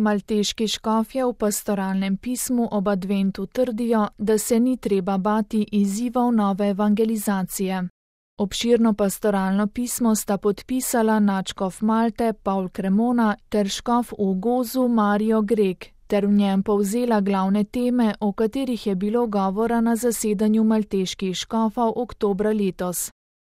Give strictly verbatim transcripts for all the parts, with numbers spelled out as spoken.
Malteški škofje v pastoralnem pismu ob adventu trdijo, da se ni treba bati izzivov nove evangelizacije. Obširno pastoralno pismo sta podpisala nadškof Malte Paul Cremona ter škof v Gozu Mario Grek, ter v njem povzela glavne teme, o katerih je bilo govora na zasedanju malteških škofov oktobra letos.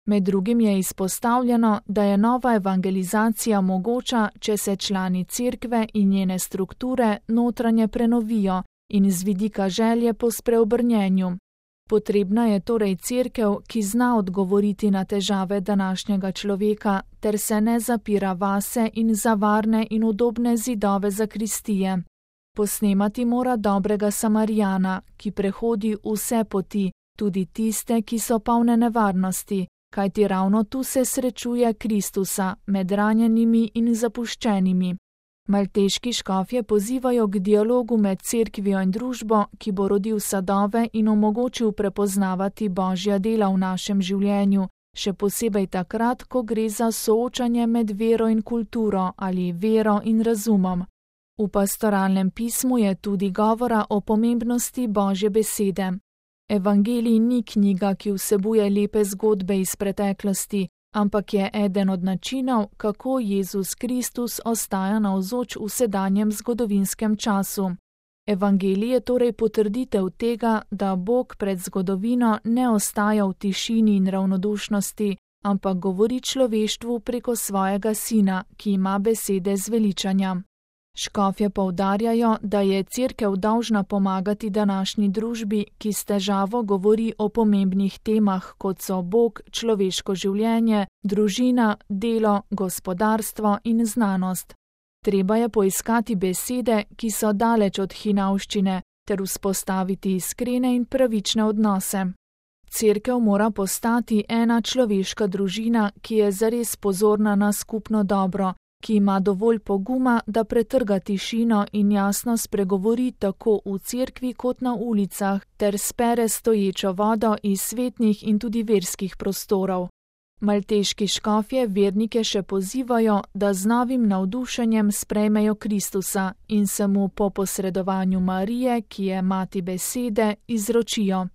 Med drugim je izpostavljeno, da je nova evangelizacija mogoča, če se člani cerkve in njene strukture notranje prenovijo in z vidika želje po spreobrnjenju. Potrebna je torej cerkev, ki zna odgovoriti na težave današnjega človeka, ter se ne zapira vase in za varne in udobne zidove zakristije. Posnemati mora dobrega Samarijana, ki prehodi vse poti, tudi tiste, ki so polne nevarnosti, kajti ravno tu se srečuje Kristusa med ranjenimi in zapuščenimi. Malteški škofje pozivajo k dialogu med cerkvijo in družbo, ki bo rodil sadove in omogočil prepoznavati Božja dela v našem življenju, še posebej takrat, ko gre za soočanje med vero in kulturo ali vero in razumom. V pastoralnem pismu je tudi govora o pomembnosti Božje besede. Evangelij ni knjiga, ki vsebuje lepe zgodbe iz preteklosti, ampak je eden od načinov, kako Jezus Kristus ostaja navzoč v sedanjem zgodovinskem času. Evangelij je torej potrditev tega, da Bog pred zgodovino ne ostaja v tišini in ravnodušnosti, ampak govori človeštvu preko svojega Sina, ki ima besede zveličanja. Škofje poudarjajo, da je cerkev dolžna pomagati današnji družbi, ki s težavo govori o pomembnih temah, kot so Bog, človeško življenje, družina, delo, gospodarstvo in znanost. Treba je poiskati besede, ki so daleč od hinavščine, ter vzpostaviti iskrene in pravične odnose. Cerkev mora postati ena človeška družina, ki je zares pozorna na skupno dobro, ki ima dovolj poguma, da pretrga tišino in jasno spregovori tako v cerkvi kot na ulicah, ter spere stoječo vodo iz svetnih in tudi verskih prostorov. Malteški škofje vernike še pozivajo, da z novim navdušenjem sprejmejo Kristusa in se mu po posredovanju Marije, ki je mati besede, izročijo.